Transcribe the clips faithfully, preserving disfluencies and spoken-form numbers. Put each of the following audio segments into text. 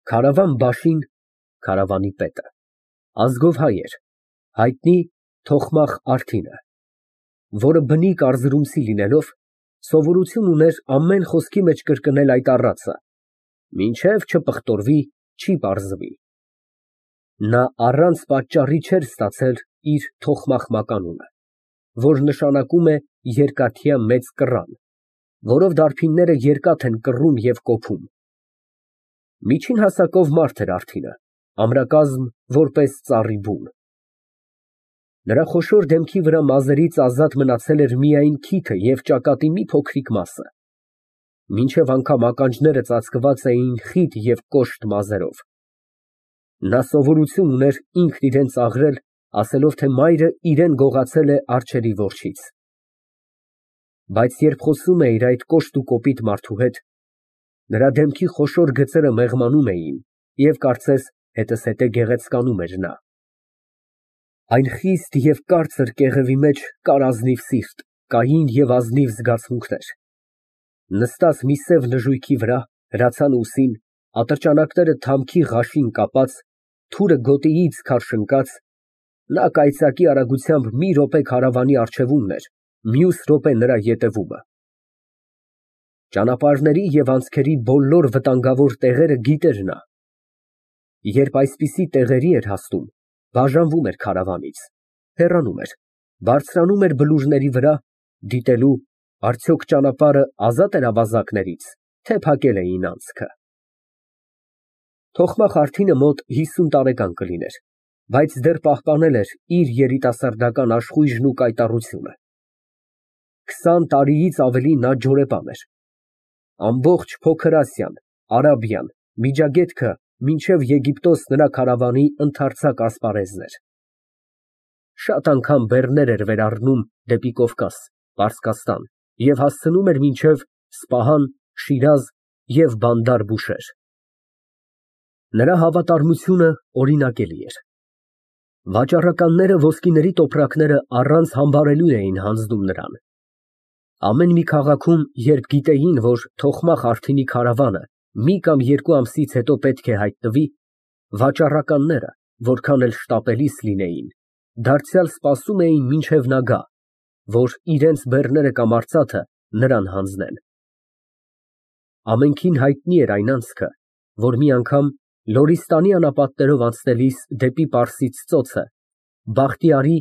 Քարավան Բաշին, քարավանի պետը, ազգով հայ էր, հայտնի Թոխմախ Արդինը, որը բնիկ արզրումցի լինելով, սովորություն ուներ ամեն խոսքի մեջ կրկնել այդ առածը. «Մինչև չպղտորվի, չի պարզվի»։ Նա առանց պատճառի չէր ստացել իր Թոխմախ մականունը, որ նշանակում է երկաթյա մեծ կռան, որով դարբինները երկաթ են կռում և կոփում։ Միջին հասակով մարդ էր Արդինը, ամրակազմ որպես ծառի բուն։ Նրա խոշոր դեմքի վրա մազերից ազատ մնացել էր միայն քիթը և ճակատի մի փոքրիկ մասը, մինչև անգամ ականջները ծածկված էին խիտ և կոշտ մազերով։ Նա սովորություն ուներ ինքն իրան ծաղրել, ասելով, թե մայրը իրան գողացել է արջերի որջից։ Բայց երբ խոսում է իր այդ կոշտ ու կոպիտ մարդու հետ, նրա դեմքի խոշոր գծերը մեղմանում էին և կարծես հետզհետե գեղեցկանում էր նա։ Այն խիստ և կարծր կեղևի մեջ կար ազնիվ սիրտ, կային և ազնիվ զգացմունքներ։ Նստած մի սև նժույգի վրա, հրացան ուսին, ատրճանակները թամքի ղաշին կապած, թուրը գոտիից քարշընկած, նա կայծակի արագությամբ մի րոպե քարավանի առջևումն էր, մյուս րոպե նրա ետևումը։ Ճանապարհների և անցքերի բոլոր վտանգավոր տեղերը գիտեր նա։ Երբ այսպիսի տեղերի էր հասնում, բաժանվում էր քարավանից, հեռանում էր, բարձրանում էր բլուրների վրա, դիտելու արդյոք ճանապարհը ազատ էր ավազակներից, թե փակել էին անցքը։ Թոխմախ Արդինը մոտ հիսուն տարեկան կլիներ, բայց դեռ պահպանել էր իր երիտասարդական աշխույժն ու կայտառությունը։ Քսան տարիից ավելի նա ջորեպան էր։ Ամբողջ Փոքր Ասիան, Արաբիան, Միջագետքը մինչև Եգիպտոս նրա քարավանի ընդարձակ ասպարեզն էր։ Շատ անգամ բեռներ էր վերառնում դեպի Կովկաս, Պարսկաստան և հասցնում էր մինչև Սպահան, Շիրազ և Բանդար Բուշեհր։ Նրա հավատարմությունը օրինակելի էր։ Վաճառականները ոսկիների տոպրակները առանց համբարելու էին հանձնում նրան։ Ամեն մի քաղաքում, երբ գիտեին, որ Թոխմախ Արդինի քարավանը մի կամ երկու ամսից հետո պետք է հայտնվի, վաճառականները, որքան էլ շտապելիս լինեին, դարձյալ սպասում էին մինչև նա գա, որ իրենց բեռները կամ արծաթը նրան հանձնեն։ Ամենքին հայտնի էր այն անցքը, որ մի անգամ Լորիստանի անապատներով անցնելիս դեպի Պարսից ծոցը Բախտիարի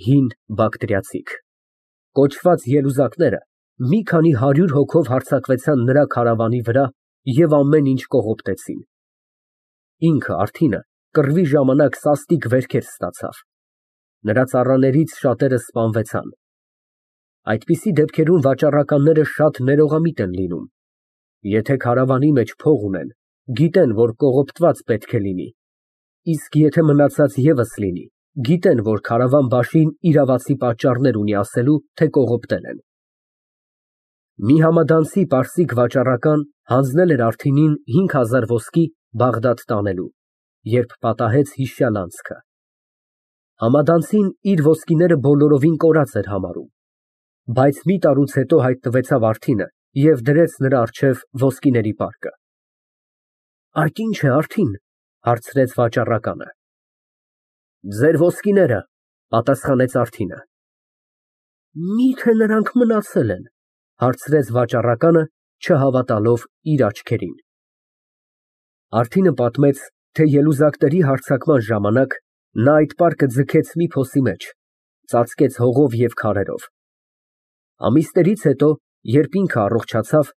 (հին Բակտրիացիք) կոչված ելուզակները մի քանի հարյուր հոգով հարձակվեցան նրա քարավանի վրա և ամեն ինչ կողոպտեցին։ Ինքը Արդինը կռվի ժամանակ սաստիկ վերքեր ստացավ։ Նրա ծառաներից շատերը սպանվեցան։ Այդպիսի դեպքերում վաճառականները շատ ներողամիտ են լինում։ Եթե քարավանի մեջ փող ունեն, գիտեն, որ կողոպտված պետք է լինի, իսկ եթե մնացած ևս լինի, գիտեն, որ քարավան Բաշին իրավացի պատճառներ ունի ասելու, թե կողոպտել են։ Մի համադանցի պարսիկ վաճառական հանձնել էր Արդինին հինգ հազար ոսկի Բաղդադ տանելու, երբ պատահեց հիշյալ անցքը։ Համադանցին իր ոսկիները բոլորովին կորած էր համարում, բայց մի տարուց հետո հայտնվեցավ Արդինը և դրեց նրա առջև ոսկիների պարկը։ Այդ ի՞նչ է, Արդին, հարցրեց վաճառականը։ Ձեր ոսկիները, պատասխանեց Արդինը։ Մի՞թե նրանք մնացել են, հարցրեց վաճառականը, չհավատալով իր աչքերին։ Արդինը պատմեց, թե ելուզակների հարձակման ժամանակ նա այդ պարկը ձգեց մի փոսի մեջ, ծածկեց հողով և քարերով։ Ամիսներից հետո, երբ ինքը առողջացավ,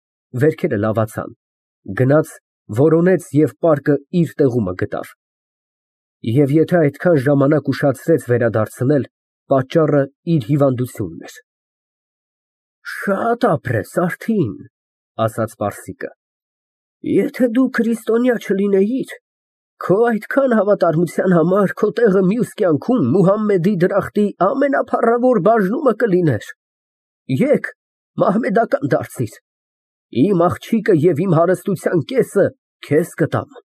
վերքերը լավացան, գնաց, որոնեց և պարկը իր տեղումը գտավ։ Եվ եթե այդքան ժամանակ ուշացրեց վերադարձնել, պատճառը իր հիվանդությունն էր։ Շատ ապրես, Արդին, ասաց պարսիկը։ Եթե դու քրիստոնյա չլինեիր, քո այդքան հավատարմության համար քո տեղը մյուս կյանքում Մուհամմեդի դրախտի ամենափառավոր բաժնումը կլիներ։ Եկ, մահմեդական դարձիր, իմ աղջիկը և իմ հարստության կեսը քեզ կտամ։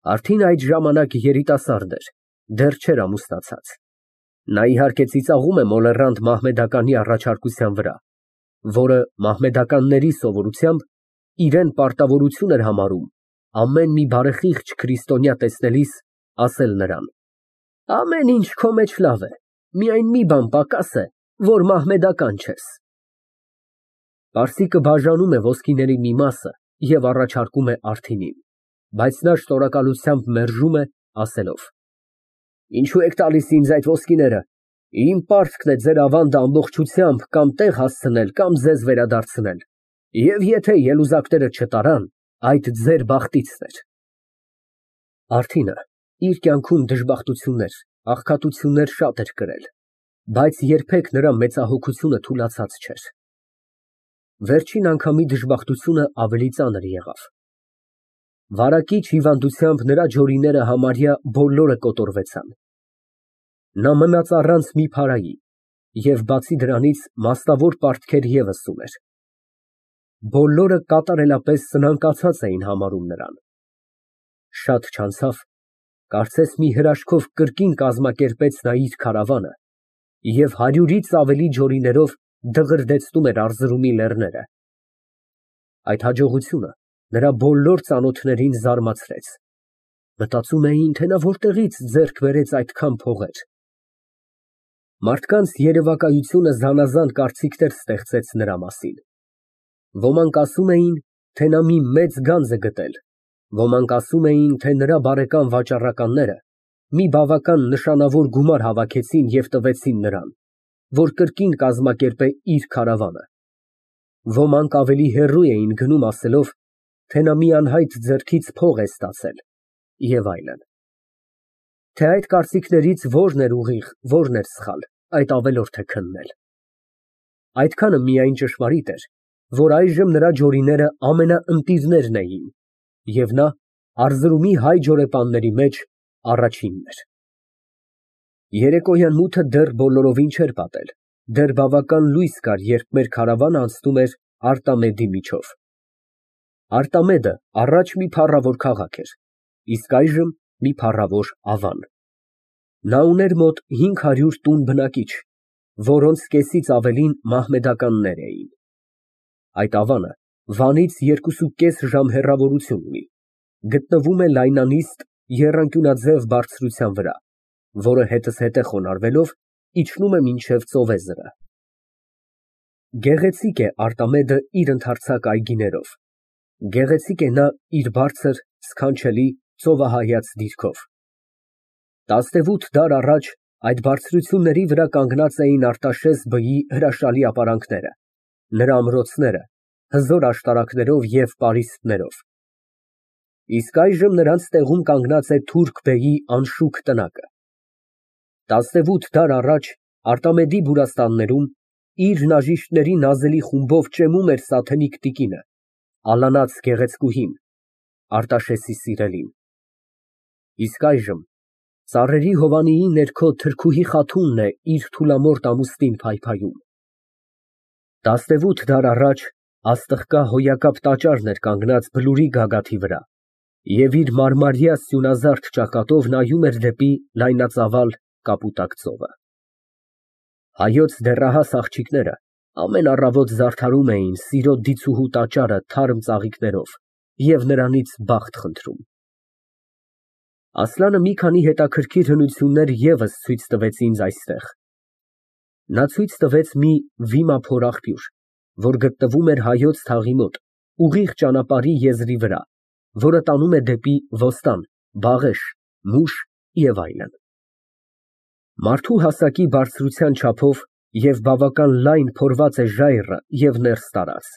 Արդին այդ ժամանակ երիտասարդ էր, դեռ չէր ամուսնացած։ Նա իհարկե ծիծաղում է մոլեռանդ մահմեդականի առաջարկության վրա, որը մահմեդականների սովորությամբ իրան պարտավորություն էր համարում ամեն մի բարեխիղճ քրիստոնյա տեսնելիս, ասել նրան. Ամեն ինչ քո մեջ լավ է, միայն մի բան պակաս է, որ մահմեդական չես։ Պարսիկը բաժանում է ոսկիների մի մասը և առաջարկում է Արտինին, բայց նա շնորհակալությամբ մերժում է, ասելով. Ինչո՞ւ եք տալիս ինձ այդ ոսկիները, իմ պարտքն է ձեր ավանդը ամբողջությամբ կամ տեղ հասցնել, կամ ձեզ վերադարձնել, և եթե ելուզակները չտարան, այդ ձեր բախտիցն էր։ Արտինը իր կյանքում դժբախտություններ, աղքատություններ շատ էր կրել, բայց երբեք նրա մեծահոգությունը թուլացած չէր։ Վերջին անգամի դժբախտությունը ավելի ծանր եղավ։ Վարակիչ հիվանդությամբ նրա ջորիները համարյա բոլորը կոտորվեցան։ Նա մնաց առանց մի փարայի և բացի դրանից մասնավոր պարտքեր ևս ուներ։ Բոլորը կատարելապես սնանկացած էին համարում նրան։ Շատ չանցավ, կարծես մի հրաշքով կրկին կազմակերպեց նա իր քարավանը և հարյուրից ավելի ջորիներով դղրդեցնում էր Արզրումի լեռները։ Այդ հաջողությունը նրա բոլոր ծանոթներին զարմացրեց։ Մտածում էին, թե նա որտեղից ձեռք բերեց այդքան փողեր։ Մարդկանց երևակայությունը զանազան կարծիքներ ստեղծեց նրա մասին։ Ոմանք ասում էին, թե նա մի մեծ գանձ է գտել, ոմանք ասում էին, թե նրա բարեկամ վաճառականները մի բավական նշանավոր գումար հավաքեցին և տվեցին նրան, որ կրկին կազմակերպե իր քարավանը։ Ոմանք ավելի հեռու էին գնում ասելով, թե նա մի անհայտ ձեռքից փող է ստացել և այլն։ Թե այդ կարծիքներից որն էր ուղիղ, որն էր սխալ, այդ ավելորդ է քննել։ Այդքանը միայն ճշմարիտ էր, որ այժմ նրա ջորիները ամենաընտիրներն էին, և նա Արզրումի հայ ջորեպանների մեջ առաջինն էր։ Երեկոյան մութը դեռ բոլորովին չէր պատել, դեռ բավական լույս կար, երբ մեր քարավանը անցնում էր Արտամեդի միջով։ Արտամեդը առաջ մի փառավոր քաղաք էր, իսկ այժմ մի փառավոր ավան։ Նա ուներ մոտ հինգ հարյուր տուն բնակիչ, որոնց կեսից ավելին մահմեդականներ էին։ Այդ ավանը Վանից երկուսուկես ժամ հեռավորություն ունի, գտնվում է լայնանիստ եռանկյունաձև բարձրության վրա, որը հետզհետե խոնարհվելով իջնում է մինչև ծովեզրը։ Գեղեցիկ է Արտամեդը իր ընդարձակ այգիներով, գեղեցիկ է նա իր բարձր, սքանչելի, ծովահայաց դիրքով։ Տասնևութ դար առաջ այդ բարձրությունների վրա կանգնած էին Արտաշես բոյի հրաշալի ապարանքները, նրա ամրոցները, հզոր աշտարակներով և պարիսպներով։ Իսկ այժմ նրանց տեղում կանգնած է թուրք֊բեի անշուք տնակը։ Տասնևութ դար առաջ Արտամեդի բուրաստաններում իր նաժիշտների նազելի խումբով ճեմում էր սաթենիկ տիկինը, ալանած գեղեցկուհին, Արտաշեսի սիրելին։ Իսկ այժմ ծառերի հովանիի ներքո թրքուհի Խաթունն է իր թուլամորթ ամուսնին փայփայում։ Տասնևութ դար առաջ աստղկա հոյակապ տաճարն էր կանգնած բլուրի գագաթի վրա և իր մարմարյա սյունազարդ ճակատով նայում էր դեպի լայնածավալ կապուտակ ծովը։ Հայոց դեռահաս աղջիկները ամեն առավոտ զարդարում էին սիրո դիցուհու տաճարը թարմ ծաղիկներով և նրանից բախտ խնդրում։ Ասլանը մի քանի հետաքրքիր հնություններ ևս ցույց տվեց ինձ այստեղ։ Նա ցույց տվեց մի վիմափոր աղբյուր, որ գտնվում էր Հայոց թաղի մոտ, ուղիղ ճանապարհի եզրի վրա, որը տանում է դեպի Ոստան, Բաղեշ, Մուշ և այլն։ Մարդու հասակի բարձրության չափով և բավական լայն փորված է ժայռը և ներս տարած։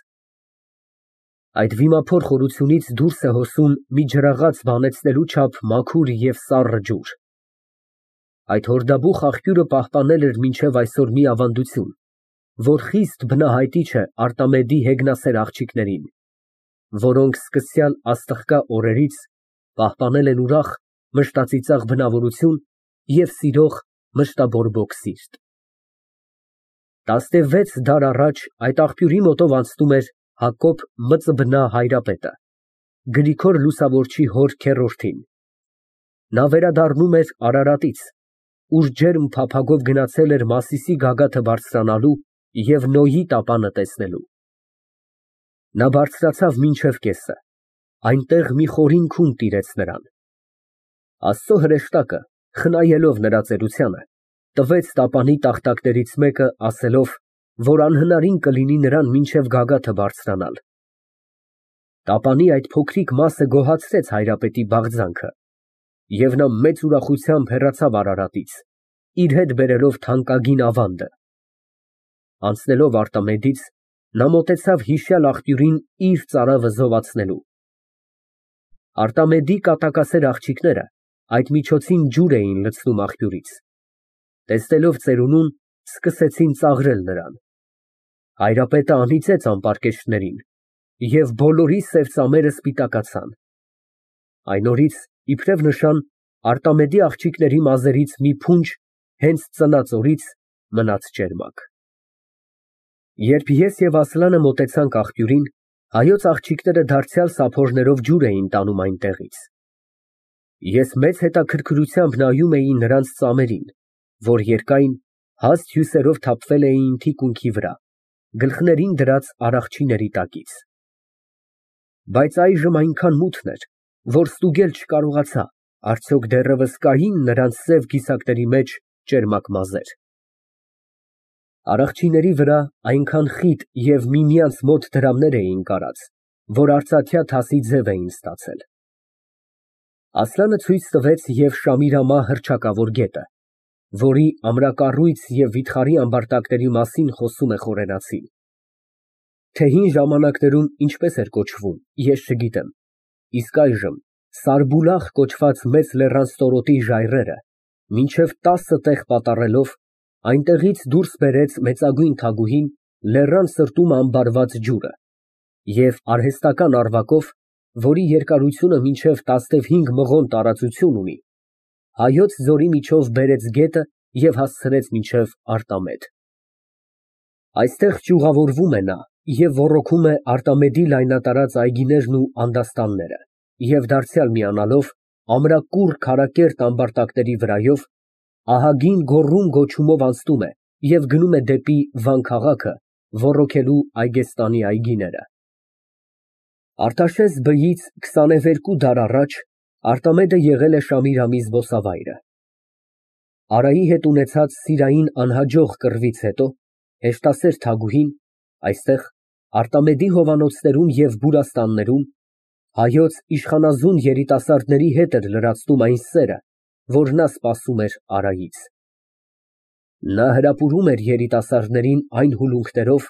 Այդ վիմափոր խորությունից դուրս է հոսում մի ջրաղաց բանեցնելու չափ մաքուր և սառը ջուր։ Այդ հորդաբուխ աղբյուրը պահպանել էր մինչև այսօր մի ավանդություն, որ խիստ բնահայտիչ է Արտամեդի հեգնասեր աղջիկներին, որոնք սկսյալ աստղկա օրերից պահպանել են ուրախ, մշտածիծաղ բնավորություն և սիրող, մշտաբորբոք սիրտ։ Տասնվեց դար առաջ այդ աղբյուրի մոտով անցնում էր Հակոբ Մծբնա Հայրապետը, Գրիգոր Լուսավորչի հոր քեռորդին։ Նա վերադառնում էր Արարատից, ուր ջերմ փափագով գնացել էր Մասիսի գագաթը բարձրանալու և Նոյի տապանը տեսնելու։ Նա բարձրացավ մինչև կեսը, Այնտեղ մի խորին քուն տիրեց նրան։ Աստծո հրեշտակը, խնայելով նրա ծերությանը, տվեց տապանի տախտակներից մեկը, ասելով, որ անհնարին կլինի նրան մինչև գագաթը բարձրանալ։ Տապանի այդ փոքրիկ մասը գոհացրեց հայրապետի բաղձանքը, և նա մեծ ուրախությամբ հեռացավ Արարատից, իր հետ բերելով թանկագին ավանդը։ Անցնելով Արտամեդից, նա մոտեցավ հիշյալ աղբյուրին իր ծարավը զովացնելու։ Արտամեդի կատակասեր աղջիկները այդ միջոցին ջուր էին լցնում աղբյուրից։ Տեսնելով ծերունուն, սկսեցին ծաղրել նրան։ Հայրապետը անիծեց ամպարկեշտներին, և բոլորի սև ծամերը սպիտակացան։ Այն օրից, իբրև նշան, Արտամեդի աղջիկների մազերից մի փունջ հենց ծնած օրից մնաց ճերմակ։ Երբ ես և Ասլանը մոտեցանք աղբյուրին, հայոց աղջիկները դարձյալ սափորներով ջուր էին տանում այնտեղից։ Ես մեծ հետաքրքրությամբ նայում էի նրանց ծամերին, որ երկայն, հաստ հյուսերով թափվել էին թիկունքի վրա, գլխներին դրած արախչիների տակից։ Բայց այժմ այնքան մութն էր, որ ստուգել չկարողացա, արդյոք դեռևս կայի՞ն նրանց սև կիսակների մեջ ճերմակ մազեր։ Արախչիների վրա այնքան խիտ և միմյանց մոտ դրամներ էին կարած, որ արծաթյա թասի ձև էին ստացել։ Ասլանը ցույց տվեց և Շամիրամա հռչակավոր գետը, որի ամրակառույց և վիթխարի ամբարտակների մասին խոսում է խորենացին։ Թե հին ժամանակներում ինչպես էր կոչվում, ես չգիտեմ, իսկ այժմ Սարբուլախ կոչված մեծ լեռան ստորոտի ժայռերը, մինչև տասը տեղ պատառելով, այնտեղից դուրս բերեց մեծագույն թագուհին լեռան սրտում ամբարված ջուրը և արհեստական առվակով, որի երկարությունը մինչև տասնհինգ մղոն տարածություն ունի, Հայոց ձորի միջով բերեց գետը և հասցրեց մինչև Արտամեդ։ Այստեղ ճյուղավորվում է նա և ոռոգում է Արտամեդի լայնատարած այգիներն ու անդաստանները և դարձյալ միանալով ամրակուռ քարակերտ ամբարտակների վրայով, ահագին գոռում֊գոչումով անցնում է և գնում է դեպի Վան քաղաքը, ոռոգելու Այգեստանի այգիները։ Արտաշես բույից քսաներկու դար առաջ Արտամեդը եղել է Շամիրամի զբոսավայրը։ Արայի հետ ունեցած սիրային անհաջող կռվից հետո հեշտասեր թագուհին այստեղ, Արտամեդի հովանոցներում և բուրաստաններում, հայոց իշխանազուն երիտասարդների հետ էր լրացնում այն սերը, որ նա սպասում էր Արայից։ Նա հրապուրում էր երիտասարդներին այն հուլունքներով,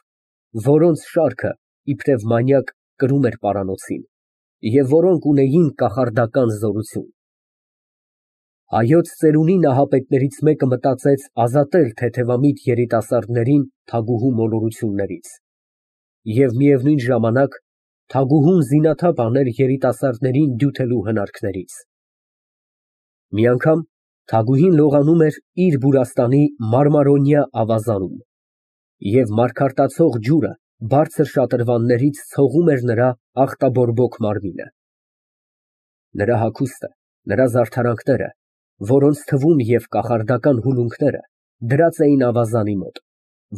որոնց շարքը, իբրև մանյակ, կրում էր պարանոցին, և որոնք ունեին կախարդական զորություն։ Հայոց ծերունի նահապետներից մեկը մտածեց ազատել թեթևամիտ երիտասարդներին թագուհու մոլորություններից և միևնույն ժամանակ թագուհուն զինաթափ անել երիտասարդներին դյութելու հնարքներից։ Մի անգամ թագուհին լողանում էր իր բուրաստանի մարմարոնյա ավազանում, և մարգարտացող ջուրը բարձր շատրվաններից ցողում էր նրա ախտաբորբոք մարմինը։ Նրա հագուստը, նրա զարդարանքները, որոնց թվում և կախարդական հուլունքները դրած էին ավազանի մոտ,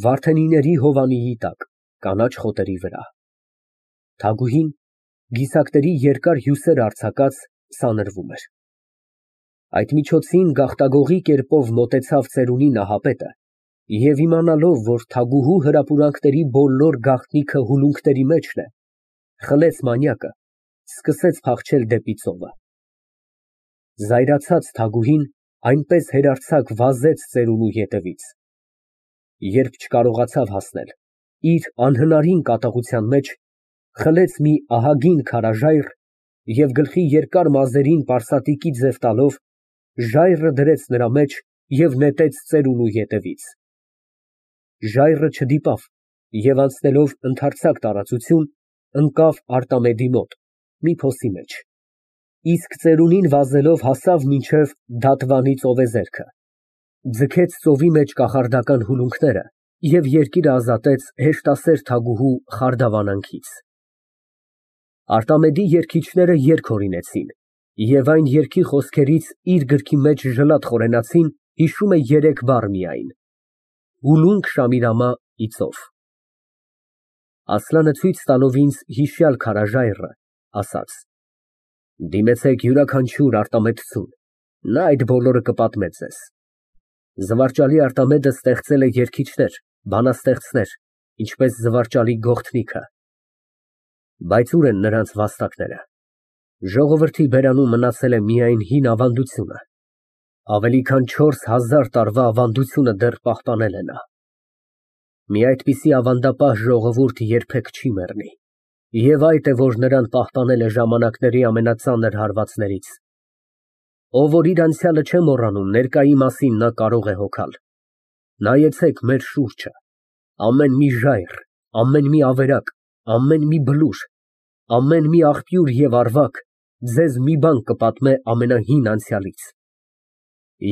վարդենիների հովանիի տակ, կանաչ խոտերի վրա։ Թագուհին, գիսակների երկար հյուսեր արձակած, սանրվում էր։ Այդ միջոցին գաղտագողի կերպով մոտեցավ ծերունի նահապետը և իմանալով, որ թագուհու հրապուրանքների բոլոր գաղտնիքը հուլունքների մեջն է, խլեց մանյակը, սկսեց փախչել դեպի ծովը։ Զայրացած թագուհին այնպես հերարձակ վազեց ծերունու ետևից։ Երբ չկարողացավ հասնել, իր անհնարին կատաղության մեջ խլեց մի ահագին քարաժայռ և գլխի երկար մազերին պարսատիկի ձև տալով, ժայռը դրեց նրա մեջ և նետեց ծերունու ետևից։ Ժայռը չդիպավ և անցնելով ընդարձակ տարածություն, ընկավ Արտամեդի մոտ, մի փոսի մեջ, իսկ ծերունին վազելով հասավ մինչև Դատվանի ծովեզերքը, ձգեց ծովի մեջ կախարդական հուլունքները և երկիրը ազատեց հեշտասեր թագուհու խարդավանանքից։ Արտամեդի երգիչները երգ հորինեցին, և այն երգի խոսքերից իր գրքի մեջ ժլատ խորենացին, հիշում է երեք բառ միայն. հուլունք Շամիրամա ի ծով։ Ասլանը ցույց տալով ինձ հիշյալ քարաժայռը, ասաց. Դիմեցեք յուրաքանչյուր արտամեթություն, նա այդ բոլորը կպատմե ձեզ։ Զվարճալի Արտամեդը ստեղծել է երգիչներ, բանաստեղծներ, ինչպես զվարճալի գողթնիքը։ Բայց ուր են նրանց վաստակները։ Ժողովրդի բերանում մնացել է միայն հին ավանդությունը։ Ավելի քան չորս հազար տարվա ավանդությունը դեռ պահպանել է նա։ Մի այդպիսի ավանդապահ ժողովուրդ երբեք չի մեռնի, և այդ է, որ նրան պահպանել է ժամանակների ամենածանր հարվածներից։ Ով որ իր անցյալը չէ մոռանում, ներկայի մասին նա կարող է հոգալ։ Նայեցեք մեր շուրջը, ամեն մի ժայռ, ամեն մի ավերակ, ամեն մի բլուր, ամեն մի աղբյուր և ավարակ ձեզ մի բան կպատմե ամենահին անցյալից։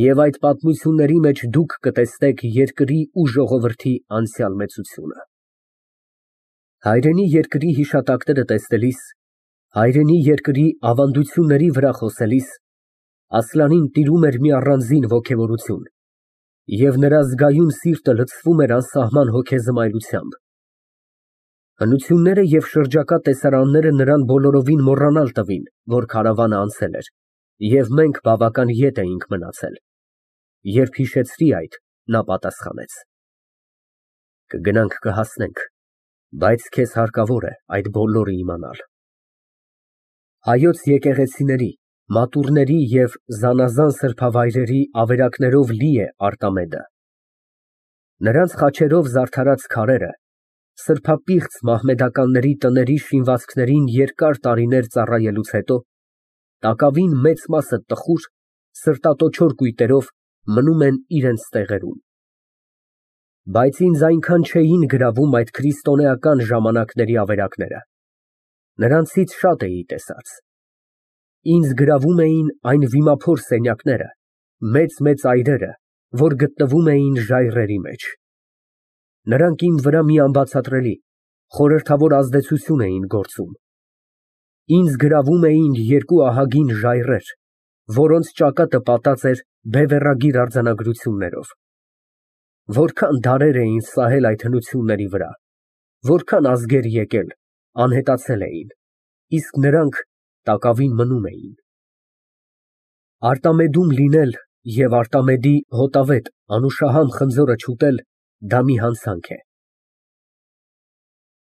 Եվ այդ պատմությունների մեջ դուք կտեսնեք երկրի ու ժողովրդի անցյալ մեծությունը։ Հայրենի երկրի հիշատակները տեսնելիս, հայրենի երկրի ավանդությունների վրա խոսելիս Ասլանին տիրում էր մի առանձին ոգևորություն, և նրա զգայուն սիրտը լցվում էր անսահման հոգեզմայլությամբ։ Հնությունները և շրջակա տեսարանները նրան բոլորովին մոռանալ տվին, որ քարավանը անցել էր, և մենք բավական ետ էինք մնացել։ Երբ հիշեցրի այդ, նա պատասխանեց. Կգնանք կհասնենք, բայց քեզ հարկավոր է այդ բոլորը իմանալ։ Հայոց եկեղեցիների, մատուռների և զանազան սրբավայրերի ավերակներով լի է Արտամեդը։ Նրանց խաչերով զարդարած քարերը սրբապիղծ մահմեդականների տների շինվածքներին երկար տարիներ ծառայելուց հետո տակավին մեծ մասը տխուր, սրտատոչոր կույտերով մնում են իրենց տեղերում։ Բայց ինձ այնքան չէին գրավում այդ քրիստոնեական ժամանակների ավերակները, նրանցից շատ էի տեսած։ Ինձ գրավում էին այն վիմափոր սենյակները, մեծ֊մեծ այրերը, որ գտնվում էին ժայռերի մեջ։ Նրանք իմ վրա մի անբացատրելի, խորհրդավոր ազդեցություն էին գործում։ Ինձ գրավում էին երկու ահագին ժայռեր, որոնց ճակատը պատած էր բևեռագիր արձանագրություններով։ Որքան դարեր էին սահել այդ հնությունների վրա, որքան ազգեր եկել, անհետացել էին, իսկ նրանք տակավին մնում էին։ Արտամեդում լինել և Արտամեդի հոտավետ անուշահամ խնձորը չուտել, դա մի հանցանք է։